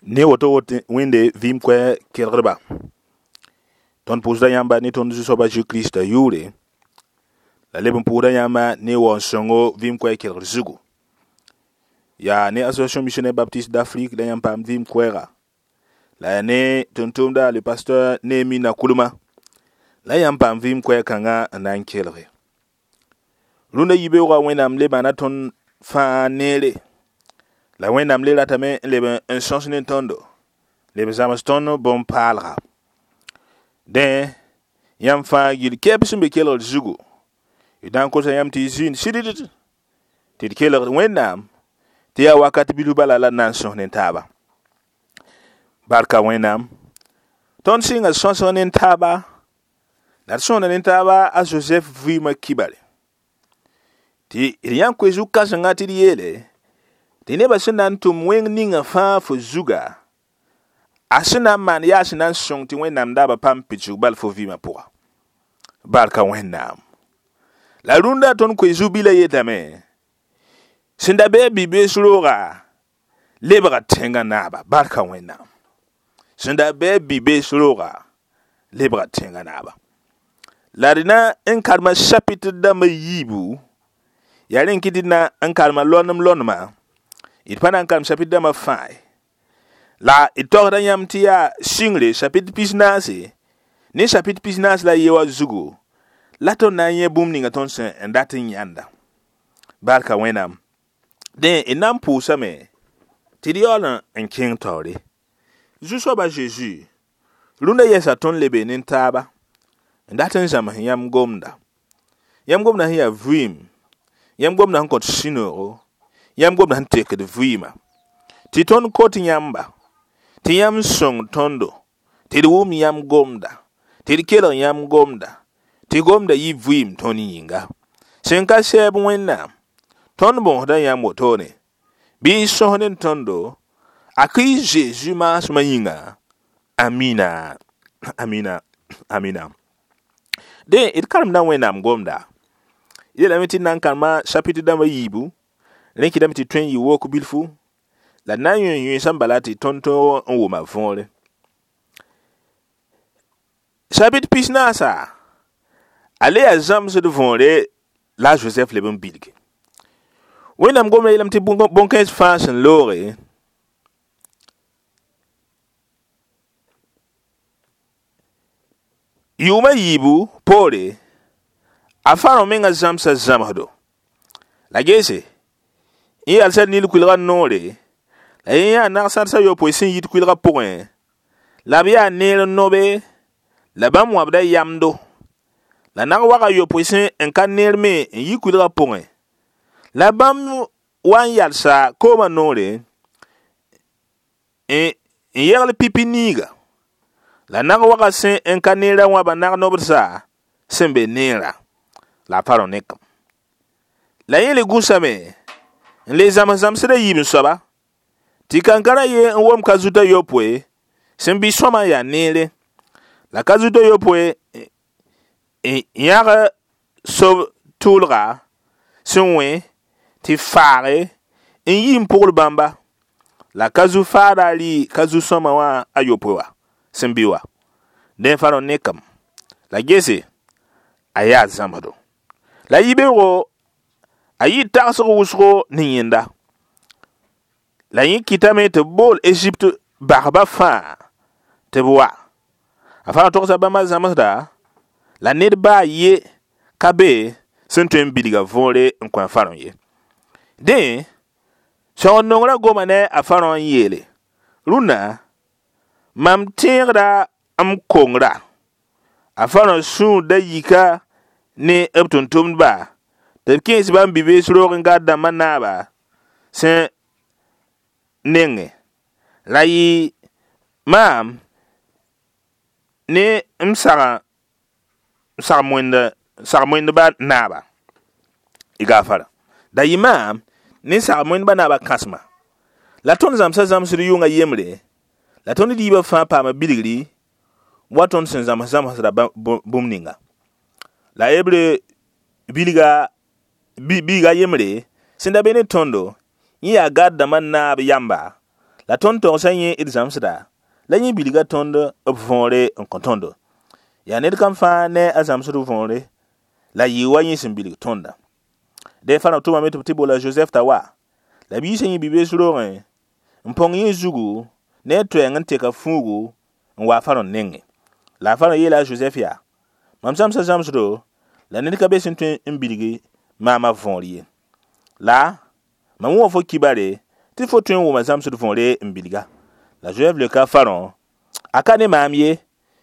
Ne woto woto wẽnde vɩɩm koɛɛg kelgdba tõnd pʋʋsda yãmba ne tõnd Zu-soaba Zeezi Kirista yʋʋre la leb n pʋʋsda yãmba ne waoon-sõngo vɩɩm koɛɛg kelgd zugu yaa ne Association Missionnaire Baptiste d'Afrique la yãmb paam vɩɩm koɛɛga la yaa ne tʋm-tʋmda le pasteur Néhémie Nakoulma la yãmb paam vɩɩm koɛɛg kãngã n na n kelge rũndã yibeoogã Wẽnnaam le maana tõnd fãa neere la Wẽnnaam le ratame n leb n sõs ne tõndo leb n zãms tõnd bõn-paalga dẽ yãmb fãa gill kɛɛb sẽn be kelgd zugu d na n kosa yãmb tɩ y zĩnd sɩddd tɩ d kelgd Wẽnnaam tɩ yaa wakat bilf bala la d na n sõs ne taaba barka Wẽnnaam tõnd sɩnga sõsg ne taaba la d sõsda ne taaba a Joseph vɩɩmã kibare tɩ d yãn koe zu-kãsenga tɩ d yeele tɩ nebã sẽn na n tʋm wẽng ninga fãa fo zuga a sẽn na n maan yaa sẽn na n sõng tɩ Wẽnnaam daabã paam pidsg bal fo vɩɩmã pʋga barka Wẽnnaam la rũndã tõnd koe zu-bilã yetame sẽn da bɩ a bi-bees rooga lebga tẽngã naaba barka Wẽnnaam sẽn da bɩ a bi-bees rooga lebga tẽngã naaba la d na n karema chapitre dãmbã yiibu yaa rẽn kɩ tɩ d na n karema lonem-lonema d pa na n karem chapitre dãmbã fãa ye la d tagsda yãmb tɩ yaa sɩngre chapitre 14 ne chapitre 41 wã zugu la tõnd na n yẽ bũmb ninga tõnd sẽn n dat n yãnda barka Wẽnnaam dẽ d na n pʋʋsame tɩ d yaool n kẽng taoore Zu-soaba Zeezi rũndã yɛsa tõnd lebe ne taaba n dat n zãms yãmb gomda yãmb gomda sẽn yaa vɩɩm yãmb gomda sẽn kõt sũ-noogo yãmb gomda sẽn tekd vɩɩmã tɩ tõnd kot yãmba tɩ yãmb sõng tõndo tɩ d wʋm yãmb gomda tɩ d kelg yãmb gomda tɩ gomda yɩ vɩɩm tõnd yĩnga sẽn ka sɛɛb Wẽnnaam tõnd bõosda yãmb wotone bɩ y sõs ne tõndo a Kirist Zeezi maasmã yĩnga amina amina amina dẽ d karemda Wẽnnaam gomda yeelame tɩ d na n karema chapitre dãmbã yiibu rẽ kɩtame tɩ tõe n yɩ wok bilfu la d na n yõ yũensã bala tɩ tõnd tõog n wʋma võore chapitre 14 a le yaa zãmsd võore la a Joseph leb n bilge Wẽnnaam gomda yeelame tɩ bõn-kãens fãa sẽn looge yʋʋmã yiibu poore a Farõ menga zãmsa zãmsdo la gese yẽ yalsa Nil kʋɩlgã noore la yẽ yaa nag-sãds a yopoe sẽn yit kʋɩlgã pʋgẽ la b yaa neer n nobe la bãmb wãbda yamdo la nag-wag a yopoe sẽn n ka neer me n yi kʋɩlgã pʋgẽ la bãmb wa n yalsa koomã noore n yegl pipi niiga la nag-wagã sẽn n ka neerã wãba nag-nobdsa sẽn be neerã la a Farõ nekem la yẽ le gũsame n le zãms zãmsdã yiib n soaba tɩ kankara ye n wom ka zutã yopoe sẽn bɩ sõma n yaa neere la ka zutã yopoe n yãg sob tʋʋlga sẽn wẽ tɩ faage n yi n pʋgl bãmba la ka zu-faada rɩ ka zu-sõma wã a yopoe wã sẽn bɩ wa dẽ Farõ nekem la gese a yaa zãmsdo la yibeoogo a yɩ tagsg wʋsgo ne yẽnda la yẽ kɩtame tɩ b bool Egypte basba fãa tɩ b wa a Farõ togsa bãmba zãmsda la ned baa ye ka be sẽn tõe n bilga võore n kõ a Farõ ye dẽ sõgd nongrã goma ne a Farõ n yeele rũnnã mam tẽegda m kongra a Farõ sũur da yika ne b tʋm-tʋmdba tɩ b kẽes bãmb bi-bees roog n gad dãmbã naaba sẽn nengẽ la yɩ maam ne m sag-moendbã naaba y gaafara da yɩ maam ne sag-moendbã naaba kãsema la tõnd zãmsa zãmsd yʋngã yembre la tõnd diibã fãa paama bilgri wa tõnd sẽn zãms zãmsdã bũmb ninga la hebre bilga biiga yembre sẽn da be ne tõndo yẽ yaa gad dãmbã naab yamba La tõnd togsa yẽ d zãmsda, la yẽ bilga tõnd b võore n kõ tõndo. Yaa ned kam fãa ne a zãmsd võore, la yɩ wa yẽ sẽn bilg tõnda. Dẽ Farõ tʋmame tɩ b tɩ bola Josɛf t'a wa, la biisã yẽ bi-bees roogẽ n põng yẽ zugu ne a toɛɛng n teka fuugu n wa a Farõ nengẽ. La a Farõ yeela a Josɛf yaa: Mam zãmsa zãmsdo, la ned ka be sẽn tõe n bilgi maamã võor ye. La mam wʋma fo kibare tɩ fo tõe n wʋma zãmsd võore n bilga. La Josɛf leoka a Farõ: A ka ne maam ye,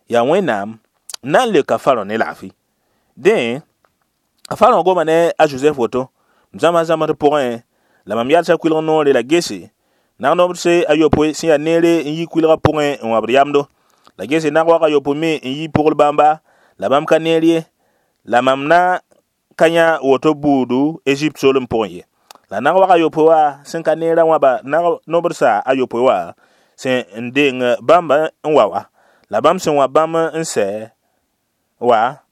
yaa Wẽnnaam n na n leoka Farõ ne laafɩ. Dẽ, a Farõ goma ne a Josɛf woto: M zãmsa zãmsd pʋgẽ, la mam yalsa kʋɩlg noore la gese nag-nobdse a yopoe sẽn yaa neere n yi kʋɩlgã pʋgẽ n wãbd yamdo. La gese nag-wag a yopoe me n yi pʋgl bãmba, la bãmb ka neer ye. La mam na ka yã woto buudu Ezipt soolem pʋgẽ ye. La nag-wag a yopoe wã sẽn ka neerã wãba nag-nobdsa a yopoe wã sẽn n deng bãmb n wa wa. La bãmb sẽn wã bãmb n sɛ wa,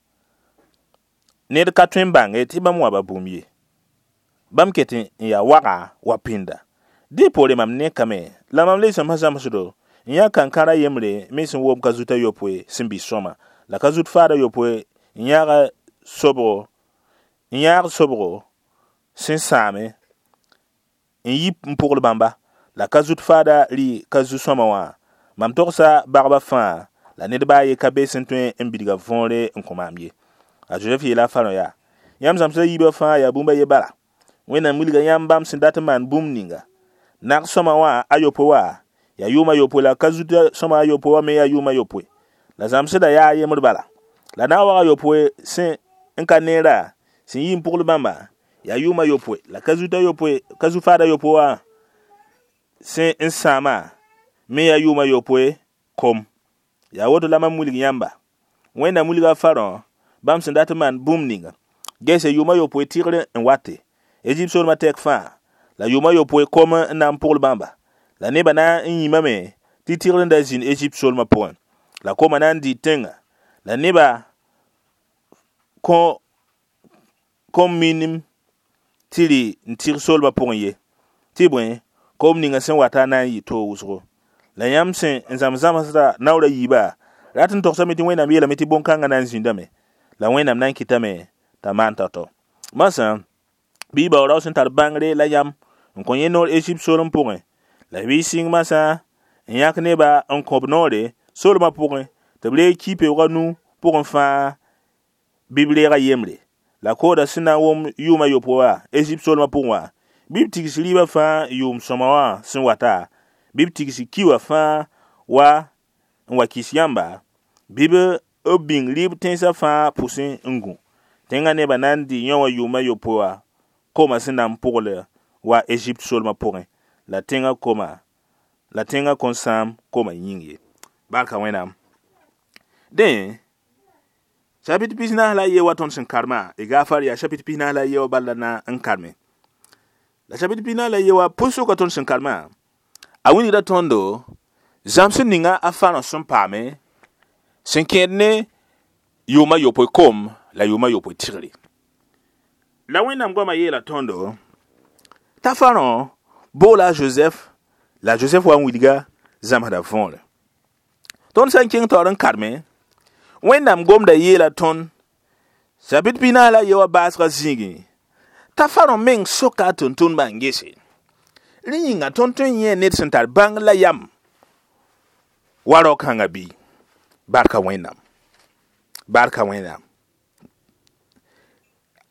ned ka tõe n bãnge tɩ bãmb wãba bũmb ye. Bãmb ket n yaa waga wa pĩnda. Dẽ poore mam nekame, la mam le zãmsa zãmsdo, n yã kankãra yembre me sẽn wom ka-zut a yopoe sẽn bɩ sõama, la ka-zut faad a yopoe n yãag sobgo sẽn sãame n yi n pʋgl bãmba, la ka-zut faada rɩ ka-zu-sõama wã. Mam togsa bagba fãa, la ned baa ye ka be sẽn tõe n bilga võore n kõ maam ye. A Josɛf yeela a Farõ yaa: Yãmb zãmsda yiibã fãa yaa bũmb a ye bala. Wẽnnaam wilga yãmb bãmb sẽn dat n maan bũmb ninga. Nag sõma wã a yopoe wã yaa yʋʋm a yopoe, la ka-zut sõma a yopoe wã me yaa yʋʋm a yopoe. La zãmsdã yaa a yembr bala. La nag-wag a yopoe sẽn n ka neera sẽn yi n pʋgl bãmba yaa yʋʋm a yopoe, la ka-zu-faad a yopoe wã sẽn n sãama me yaa yʋʋm a yopoe kom. Yaa woto la mam wilg yãmba. Wẽnnaam wilga a Farõ bãmb sẽn dat n maan bũmb ninga. Gese yʋʋm a yopoe tɩgr n wate. Ezipt soolmã tɛk fãa, la yʋʋm a yopoe kom n na n pʋgl bãmba. La nebã na n yĩmame tɩ tɩgr n da zĩnd Ezipt soolmã pʋgẽ. La koma na n dɩ tẽnga. La nebã kõn minim tɩ rɩ n tɩg soolmã pʋgẽ ye. Tɩ bõe, kom ninga sẽn wata na n yɩ toog wʋsgo. La yãmb sẽn n zãms zãmsda naoor a yiibã rat n togsame tɩ Wẽnnaam yeelame tɩ bõn-kãngã na n zĩndame. La Wẽnnaam na n kɩtame t'a maan tao-tao. Masã, bɩ baoorao sẽn tar bãngre la yam n kõ yẽ noor Ezipt soolem pʋgẽ. La bɩ sɩng masã n yãk nebã n kõb noore soolmã pʋgẽ tɩ b reeg ki-peoogã nu pʋgẽ fãa bɩ b reega yembre. La kooda sẽn na n wʋm yʋʋm a yopoe wã Ezipt soolmã pʋgẽ wã, bɩ b tigs rɩɩbã fãa yʋʋm sõma wã sẽn wata, bɩ b tigs ki wã fãa wa n wa kɩs yãmba, bɩ b bĩng rɩɩb tẽnsã fãa pʋsẽ n gũ. Tẽngã nebã na n dɩ yõ wã yʋʋm a yopoe wã koma sẽn na n pʋgl wa Ezipt soolmã pʋgẽ, la tẽngã koma la tẽngã kõn sãam koma yĩng ye. Barka Wẽnnaam. Dẽ, chapitre 44 la ye wa tõnd sẽn karema, y gaafar yaa chapitre 44 la ye wa bala na n karme. La chapitre 44 la ye wa pʋsʋka tõnd sẽn karema, a wilgda tõndo zãmsd ninga a Farõ sẽn paame sẽn kẽed ne yʋʋm a yopoe kom la yʋʋm a yopoe tɩgre. La Wẽnnaam goamã yeela tõndo t'a Farõ boola a Josɛf, la Josɛf wa n wilga zãmsda võore. Tõnd sã n kẽng taoor n karme, Wẽnnaam gomda yeela tõnd chapitre 44 la ye wã baasgã zĩigẽ t'a Farõ meng soka a tʋm-tʋmdbã n gese. Rẽ yĩnga tõnd tõe n yẽ ned sẽn tar bãng la yam wa rao-kãngã bɩ. Barka Wẽnnaam. Barka Wẽnnaam.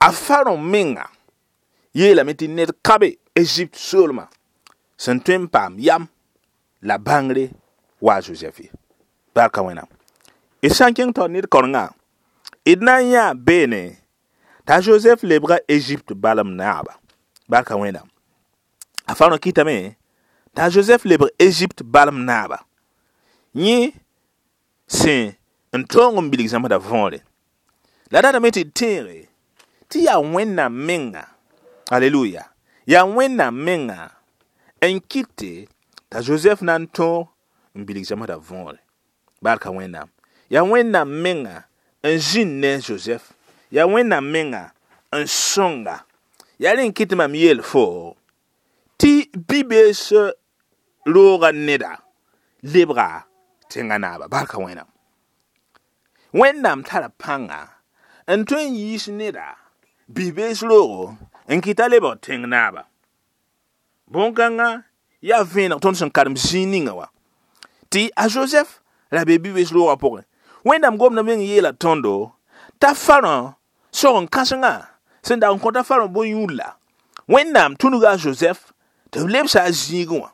A Farõ menga yeelame tɩ ned ka be Ezipt soolmã sẽn tõe n paam yam la bãngre wa a Josɛf ye. Barka Wẽnnaam. D sã n kẽng taoor ned kaorengã, d na n yãa beene t'a Josɛf lebga Ezipt balem naaba. Barka Wẽnnaam. A Farõ kɩtame t'a Josɛf lebg Ezipt balem naaba. Yẽ sẽn n tõog n bilg zãmsda võore. La datame tɩ d tẽege tɩ yaa Wẽnnaam menga, aleluya, yaa Wẽnnaam menga n kɩte t'a Josɛf na n tõog n bilg zãmsda võore. Barka Wẽnnaam. Yaa Wẽnnaam menga n zĩnd ne Josɛf. Yaa Wẽnnaam menga n sõnga. Yaa rẽ n kɩt mam yeel fo tɩ bi-bees roogã neda lebga tẽngã naaba. Barka Wẽnnaam. Wẽnnaam tara pãnga n tõe n yiis neda bi-bees roogo n kɩta lebg tẽng naaba. Bõn-kãngã yaa vẽeneg tõnd sẽn karem zĩig ninga wã tɩ a Josɛf ra be bi-bees roogã pʋgẽ. Wẽnnaam gomdã meng yeela tõndo t'a Farõ sog n kãsengã sẽn dag n kõta Farõ bõn-yũudla, Wẽnnaam tũnuga a Josɛf tɩ b lebsa a zĩigẽ wã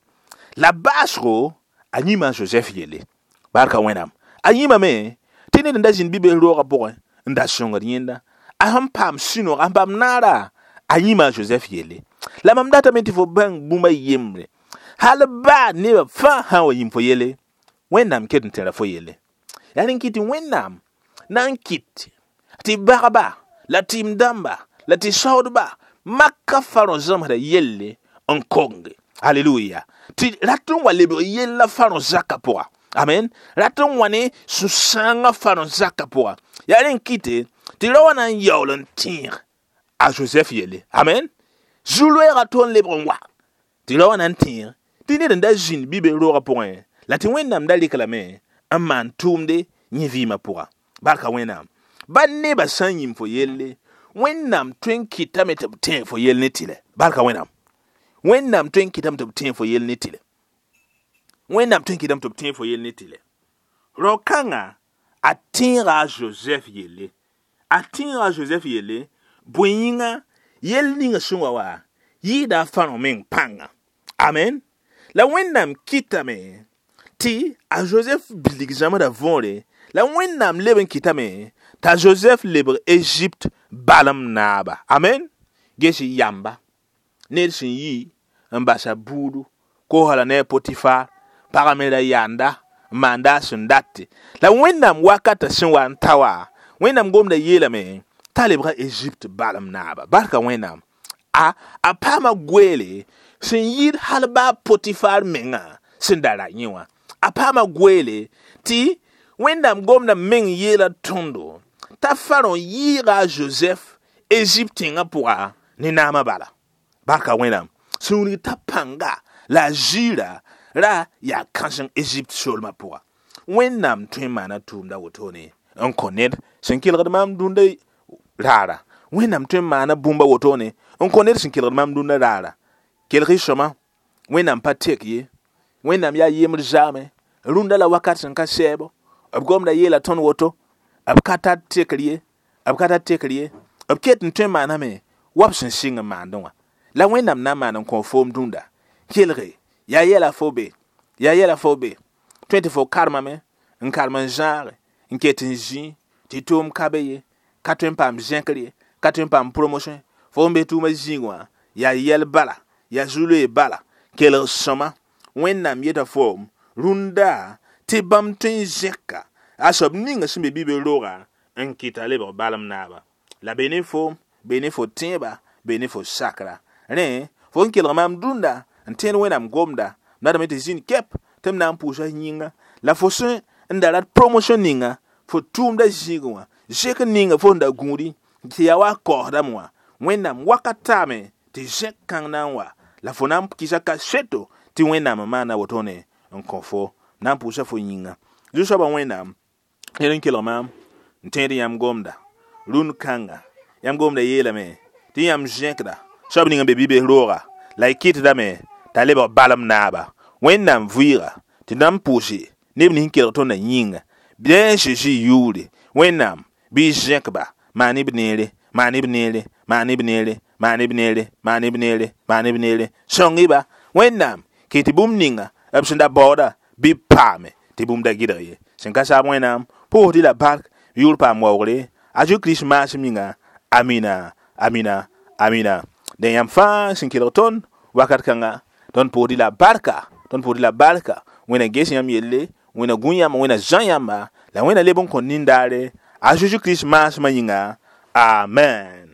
la baasgo a yĩma a Josɛf yelle. Barka Wẽnnaam. A yĩmame tɩ ned n da zĩnd bi-bees roogã pʋgẽ n da sõngd yẽnda. A sẽn paam sũ-noog, a sẽn paam naara, a yĩma a Josɛf yelle. La mam datame tɩ fo bãng bũmb a yembre. Hal baa nebã fãa sã n wa yĩm fo yelle, Wẽnnaam ket n tẽra fo yelle. Yaa rẽn kɩt tɩ Wẽnnaam na n kɩt tɩ bagba la tɩɩm dãmba la tɩ saoodba maka Farõ zãmsdã yelle n konge. Aleluya. Tɩ rat n wa lebg yella Farõ zakã pʋga. Amen. Rat n wa ne sũ-sãangã Farõ zakã pʋga. Yaa rẽn kɩte tɩ ra wa na n yaool n tẽeg a Josɛf yelle. Amen. Zu-loeegã to n lebg n wa tɩ ra wa na n tẽeg tɩ ned n da zĩnd bi-bees roogã pʋgẽ la tɩ Wẽnnaam da rɩk lame n maan tʋʋmde yẽ vɩɩmã pʋga. Barka Wẽnnaam. Ba nebã sã n yĩm fo yelle, Wẽnnaam tõe n kɩtame tɩ b tẽeg fo yell ne tɩlɛ. Barka Wẽnnaam. Wẽnnaam tõe n kɩtame tɩ b tẽeg fo yell ne tɩlɛ. Wẽnnaam tõe n kɩtame tɩ b tẽeg fo yell ne tɩlɛ. Rao-kãngã a tẽega a Josɛf yelle. A tẽega a Josɛf yelle, bõe yĩnga yell ninga sẽn wa wa yɩɩda a Farõ meng pãnga. Amen. La Wẽnnaam kɩtame tɩ a Josɛf bilg zãmsdã võore, la Wẽnnaam leb n kɩtame t'a Josɛf lebg Egypte balem naaba. Amen. Ges yamba ned sẽn yi n basa buudu koosã la ne a Potifar pagã me ra yanda n maanda a sẽn date. La Wẽnnaam wakatã sẽn wa n ta wa, Wẽnnaam gomda yeelame t'a lebga Egypte balem naaba. Barka Wẽnnaam. A paama goeele sẽn yɩɩd hal baa Potifar menga sẽn da ra yẽ wã. A paama goeele tɩ Wẽnnaam gomda meng yeela tõndo t'a Farõ yɩɩga a Josɛf Egypte tẽngã pʋga ne naamã bala. Barka Wẽnnaam. Sẽn wilg t'a pãnga la a ziira ra yaa kãseng Egypte soolmã pʋga. Wẽnnaam tõe n maana tʋʋmda wotone n kõ ned sẽn kelgd maam dũnda raara. Wẽnnaam tõe n maana bũmb a wotone n kõ ned sẽn kelgd maam dũnda raara. Kelg y sõma, Wẽnnaam pa tek ye. Wẽnnaam yaa yembr zaame. Rũndã la wakat sẽn ka sɛɛbo. B gomda yeela tõnd woto. B ka tar tekr ye. B ka tar tekr ye. B ket n tõe n maaname wa b sẽn sɩng n maandẽ wã. La Wẽnnaam na n maan n kõ foom dũnda. Kelge, yaa yɛla fo be. Yaa yɛla fo be. Tõe tɩ fo karemame, n karem n zãage, n ket n zĩ, tɩ tʋʋm ka be ye, ka tõe n paam zẽkr ye, ka tõe n paam promotion. Fo n be tʋʋmã zĩig wã, yaa yɛl bala, yaa zu-loee bala. Kelg sõma, Wẽnnaam yeta foom rũndã tɩ bãmb tõe n zẽka a soab ninga sẽn be bi-bees roogã n kɩta lebg balem naaba. La be ne foom, be ne fo tẽeba, be ne fo sakra. Rẽ, fo n kelg maam dũnda n tẽed Wẽnnaam gomda, m datame tɩ zĩnd kɛp tɩ m na n pʋʋsa yĩnga. La fo sẽn n da rat promotion ninga, fo tʋʋmda zĩigẽ wã, zẽk ninga fo sẽn da gũudi tɩ yaa wa kaoosdame wã, Wẽnnaam wakat taame tɩ zẽk kãng na n wa. La fo na n kɩsa kaseto tɩ Wẽnnaam n maana wotone n kõ fo, na n pʋʋsa fo yĩnga. Zu-soabã Wẽnnaam, ned n kelg maam n tẽed yãmb gomda rũnd kãnga. Yãmb gomda yeelame tɩ yãmb zẽkda soab ning n be bi-bees rooga la y kɩtdame t'a lebg balem naaba. Wẽnnaam vɩɩga tɩ na n pʋʋse neb nins n kelg tõndã yĩnga. Bɩ a Zeezi yʋʋre, Wẽnnaam bɩ y zẽkba maan b neere, maan b neere, maan b neere, maan b neere, maan b neere, maan b neere. Sõng-y-ba. Wẽnnaam kɩ tɩ bũmb ninga b sẽn da baooda bɩ b paame tɩ bũmb da gɩdg ye. Sẽn ka saam Wẽnnaam pʋʋsd-y la bark yʋʋr paam waoogre a Jésus-Kirist maasem yĩnga. Amina, amina, amina. Dẽ yãmb fãa sẽn kelg tõnd wakat kãnga, tõnd pʋʋsd-y la barka, tõnd pʋʋsd-y la barka. Wẽnna ges yãmb yelle, Wẽnna gũ yãmba, Wẽnna zã yãmba, la Wẽnna leb n kõ nindaare a Jésus-Kirist maasmã yĩnga. Amen.